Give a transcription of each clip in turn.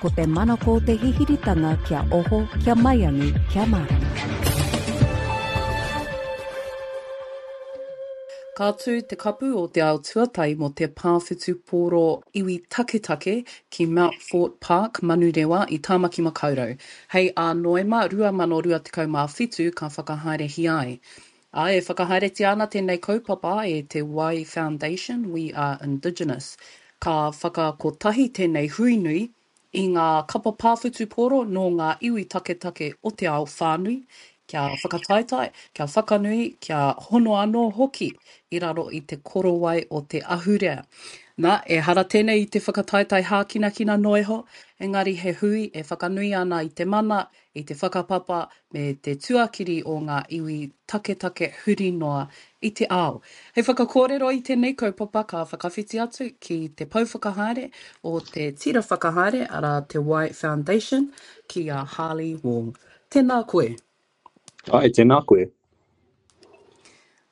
Ko te manako o te hihiritanga kia oho, kia maiangi, kia mārama. Ka tū te Kapu o te Ao Tuatai mō te Pā Whutupōro Iwi Taketake ki Mount Fort Park, Manurewa i Tāmaki Makaurau. Hei ā Noema 2027 ka whakahaerehia ai. Ā, e whakahaeretia ana tēnei kaupapa e te Wai Foundation, We Are Indigenous. Ka whakakotahi tēnei hui nui i ngā kapa pā whutupōro nō ngā iwi taketake o te ao whānui, kia whakataetae, kia whakanui, kia hono anō hoki i raro i te korowai o te ahurea. Nā, ehara tēnei i te whakataetae hākinakina noa iho, engari he hui e whakanui ana i te mana, i te whakapapa me te tuakiri o ngā iwi taketake huri noa i te ao. Hei whakakōrero i tēnei kaupapa ka whakawhiti atu ki te pou whakahaere o te tira whakahaere, arā te Wai Foundation, ki a Harley Wong. Tēnā koe. Āe, tēnā koe.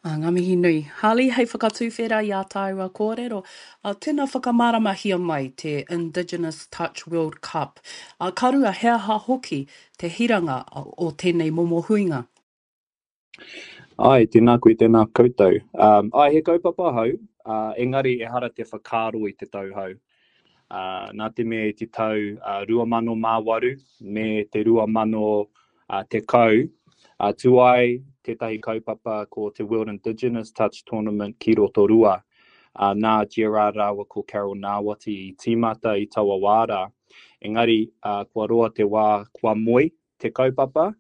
Ā, ngā mihi nui. Harley, hei whakatuwhera i ā tāua kōrero, ā, tēnā whakamāramahia mai te Indigenous Touch World Cup. Ā, ka rua, he aha hoki te hiranga o tēnei momo huinga? Āe, tēnā koe, tēnā koutou. Um, āe, he kaupapa hou, uh, engari ehara te whakaaro i te tau hou. Uh, nā te mea i te tau uh, 2008 me te 2010, uh, tū ai tētahi kaupapa ko te World Indigenous Touch Tournament ki Rotorua. Uh, nā Gerard rāua ko Carol Ngāwati i tīmata i taua wā rā. Engari, uh, kua roa te wā kua moe te kaupapa,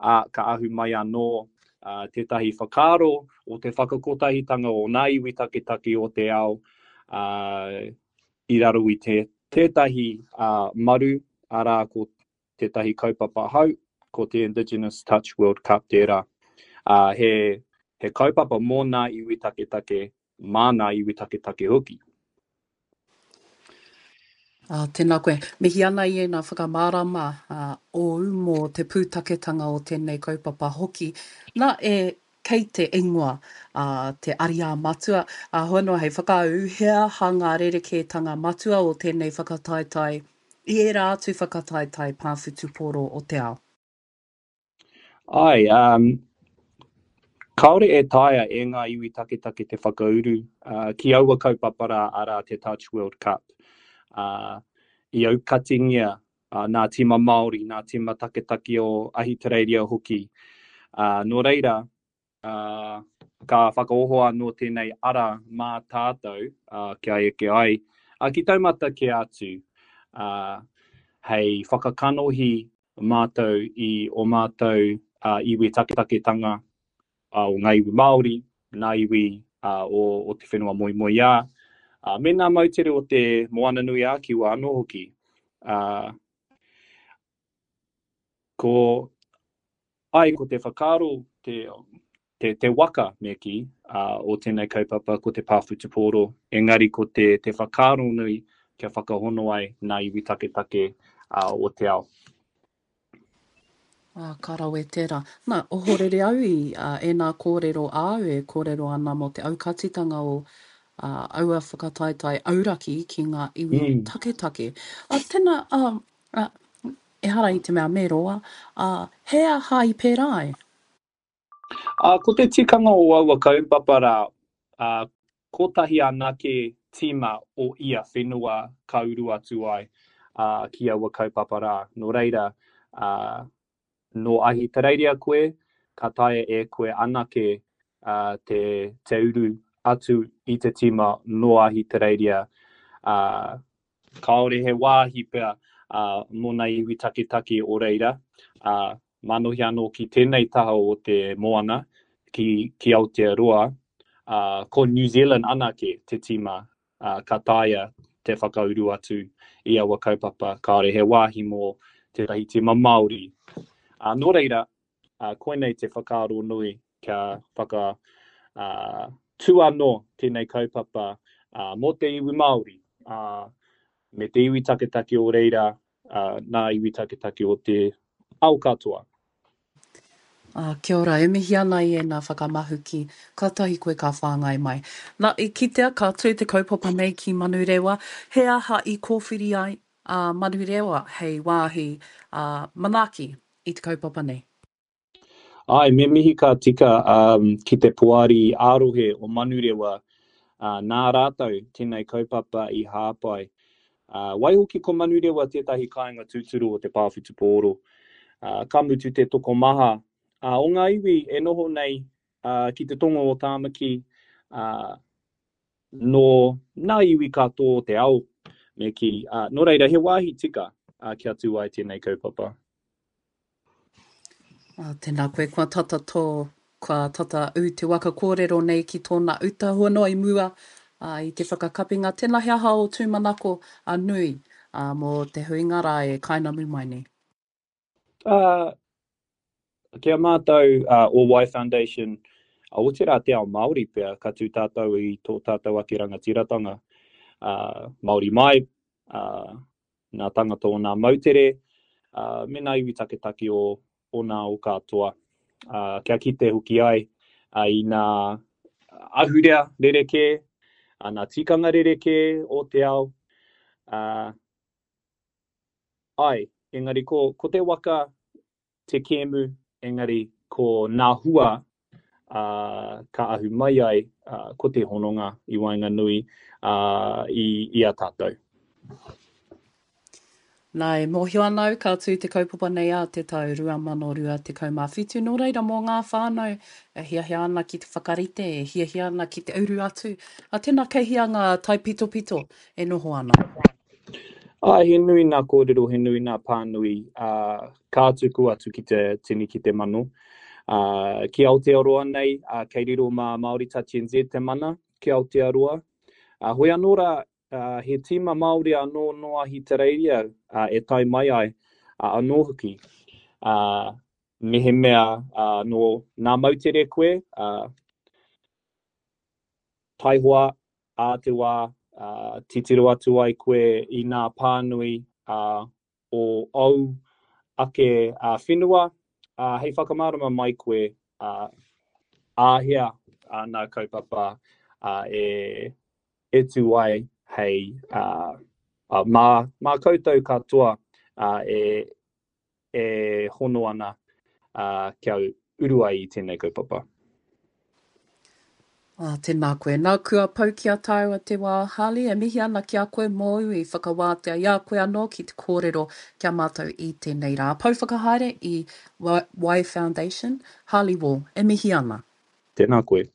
ā, ka ahu mai anō tētahi whakaaro o te whakakotahitanga o ngā iwi taketake o te ao i raro i te, tētahi maru, arā, ko tētahi kaupapa hou, ko te Indigenous Touch World Cup tērā. Ā, he, he kaupapa mō ngā iwi taketake, mā ngā iwi taketake hoki. Ā, tēnā koe. Mihi ana i ēnā whakamārama ōu mō te pūtaketanga o tēnei kaupapa hoki. Nā, e, kei te ingoa a te ariā matua, ā, hoi anō hei whakaū, he aha ngā rerekētanga matua o tēnei whakataetae i ērā atu whakataetae pā whutupōro o te ao? Āe, um, kāore e taea e ngā iwi taketake te whakauru uh, ki aua kaupapa rā, arā te Touch World Cup. Uh, I aukatingia uh, nā tīma Māori, nā tīma taketake o Ahitereiria hoki. Uh, nō reira, uh, ka whakaoho anō tēnei ara mā tātou uh, kia eke ai uh, ki taumata kē atu uh, hei whakakanohi mātou i o mātou iwi taketaketanga o ngā iwi Māori, ngā iwi o, o te whenua moemoeā, me ngā moutere o te Moananui-a-Kiwa anō hoki. Ko, ai, ko te whakaaro, te, te, te waka, me kī, o tēnei kaupapa ko te pā whutupōro, engari ko te, te whakaaro nui kia whakahono ai ngā iwi taketake o te ao. Ā, ka rawe tērā. Nā, ohorere au i ēnā kōrero āu e kōrero ana mō te aukatitanga o aua whakataetae auraki ki ngā iwi mm. taketake. Ā, tēnā, ā, ā, ehara i te mea me roa, ā, he aha i pērā ai? Ā, ko te tikanga o aua kaupapa rā, ā, kotahi anake tīma o ia whenua ka uru atu ai, ā, ki aua kaupapa rā. Nō reira, ā, nō Ahitereiria koe, ka taea e koe anake, ā, te, te uru atu i te tīma nō Ahitereiria, ā, kāore he wāhi pea, ā, mō ngā iwi taketake o reira, ā, Manohi anō ki tēnei taha o te moana, ki, ki Aotearoa, ā, ko New Zealand anake te tīma, ā, ka taea te whakauru atu i aua kaupapa, kāore he wāhi mō tētahi tīma Māori. Ā, nō reira, ā, koinei te whakaaro nui kia whaka, ā, tū anō tēnei kaupapa, ā, mō te iwi Māori, ā, me te iwi taketake o reira, ā, nā iwi taketake o te ao katoa. Ā, kia ora, e mihi ana i ēnā whakamahuki, kātahi koe ka whāngai mai. Na, i kitea ka tū te kaupapa nei ki Manurewa, he aha i kōwhiri ai, a Manurewa hei wāhi manaaki i te kaupapa nei? Āe, me mihi ka tika ki te Poari ā-Rohe o Manurewa, nā rātou tēnei kaupapa i hāpai. Waihoki ko Manurewa tētahi kāinga tūturu o te pā whutupōro. Ka mutu te tokomaha o ngā iwi e noho nei ki te tonga o Tāmaki, nō ngā iwi katoa o te ao, me kī. Nō reira, he wāhi tika kia tū ai tēnei kaupapa. Ā, tēnā koe, kua tata tō, kua tata ū te waka kōrero nei ki tōna uta hua noa i mua, ā, i te whakakapinga. Tēnā he aha ō tūmanako a nui, ā, mō te huinga rā e kainamu mai nei? Ā, ki a mātou, ā, o Y Foundation, ā, otirā te ao Māori pea, ka tū tātou i tō tātou ake rangatiratanga, ā, Māori mai, ā, nā tangata o nā moutere, ā, me nā iwi taketake o, o nā o katoa, ā, kia kite hoki ai ā, i nā ahurea rerekē, ā, nā tikanga rerekē o te ao, ā, ai, engari ko, ko te waka te kēmu, engari ko nā hua ā, ka ahu mai ai ā, ko te hononga i waenganui ā, i, i a tātou. Nā, e mōhio ana au ka tū te kaupapa nei ā te tau 2027, nō reira mō ngā whānau e hiahia ana ki te whakarite, e hiahia ana ki te uru atu, ā, tēnā kei hea ngā taipitopito e noho ana? Āe, he nui nā kōrero, he nui nā pānui, ā, ka tuku atu ki te tini, ki te mano. Ā, ki Aotearoa nei, ā, kei riro mā Māori Touch NZ te mana ki Aotearoa. Ā, hoi anō rā, ā, he tīma Māori anō nō Ahitereiria, ā, e tae mai ai, ā, anō hoki. Ā, mehemea, ā, nō nā moutere koe, ā, Taihoa, ā te wā, ā, titiro atu ai koe i nā pānui, ā, o ōu ake, ā, whenua, ā, hei whakamārama mai koe, ā, āhea, ā, nā kaupapa, ā, e, e tū ai hei, ā, ā, mā, mā koutou katoa, ā, e, e hono ana kia uru ai i tēnei kaupapa. Ā, tēnā koe. Nā, kua pau ki a tāua te wā, Harley, e mihi ana ki a koe mōu i whakawātea i a koe anō ki te kōrero ki a mātou i tēnei rā. Pou whakahaere i Y Foundation, Harley Wall, e mihi ana. Tēnā koe.